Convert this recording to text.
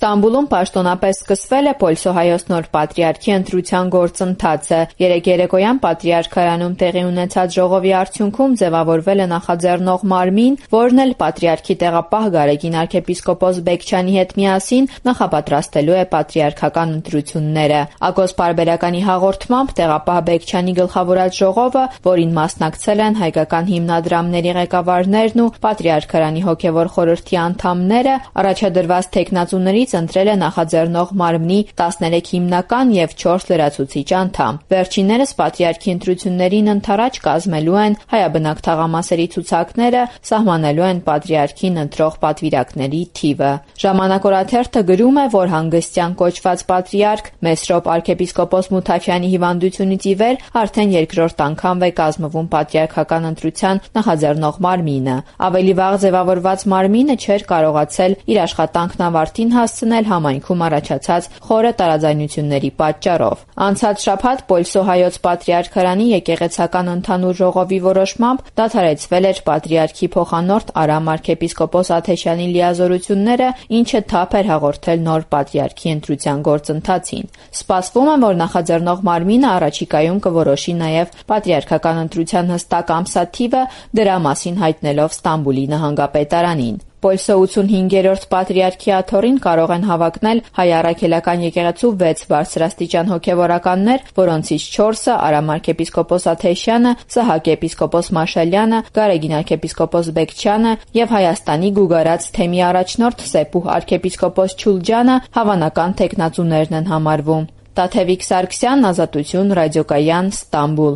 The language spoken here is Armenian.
Ստամբուլում պաշտոնապես սկսվել է Պոլսոհայոց նոր պատրիարքի ընտրության գործընթացը։ Երեկ երեկոյան պատրիարքարանում տեղի ունեցած ժողովի արդյունքում ձևավորվել է նախաձեռնող մարմին, որն էլ պատրիարքի տեղապահ Գարեգին arczepiskopos Բեկչյանի հետ միասին նախապատրաստելու է պատրիարքական ընտրությունները։ Ակոս Պարբերականի հաղորդմամբ տեղապահ Բեկչյանի գլխավորած ժողովը, որին մասնակցել են հայկական հիմնադրամների ղեկավարներն ու պատրիարքարանի հոգևոր խորհրդի անդամները, առաջադրված թեկնածուներից ընտրել է նախաձեռնող մարմնի 13 հիմնական և 4 լրացուցիչ անդամ։ Վերջիններս պատրիարքի ընտրություններին ընդառաջ կազմելու են հայաբնակ թաղամասերի ցուցակները, սահմանելու են պատրիարքին ընտրող պատվիրակների թիվը։ Ժամանակ օրաթերթը գրում է, որ հանգստյան կոչված պատրիարք Մեսրոպ arczepiskopos Մութաֆյանի հիվանդությունից ի վեր արդեն երկրորդ անգամ է կազմվում պատրիարքական ընտրության նախաձեռնող մարմինը։ Ավելի վաղ ձևավորված մարմինը չէր կարողացել իր աշխատանքն ավարտին հասցնել համայնքում առաջացած խորը տարաձայնությունների պատճառով։ Անցած շաբաթ Պոլսոհայոց պատրիարքարանի եկեղեցական ընդհանուր ժողովի որոշմամբ դադարեցվել էր պատրիարքի փոխանորդ Արամ arczepiskopos Աթեշյանի լիազորությունները, ինչը թափ էր հաղորդել նոր պատրիարքի ընտրության գործընթացին։ Սպասվում է, որ նախաձեռնող մարմինը առաջիկայում կորոշի նաև պատրիարքական ընտրության հստակ ամսաթիվը, դրա մասին հայտնելով Ստամբուլի նահանգապետարանին։ Պոլսո 85-րդ պատրիարքի աթոռին կարող են հավակնել Հայ առաքելական եկեղեցու 6 բարձրաստիճան հոգևորականներ, որոնցից 4-ը Արամ arczepiskopos Աթեշյանը, Սահակ եպիսկոպոս Մաշալյանը, Գարեգին arczepiskopos Բեկչյանը և Հայաստանի Գուգարաց թեմի առաջնորդ Սեփուհ arczepiskopos Չուլջանը հավանական թեկնածուներն են համարվում։ Տաթևիկ Սարգսյան, Ազատություն, Ռադիոկայան, Ստամբուլ։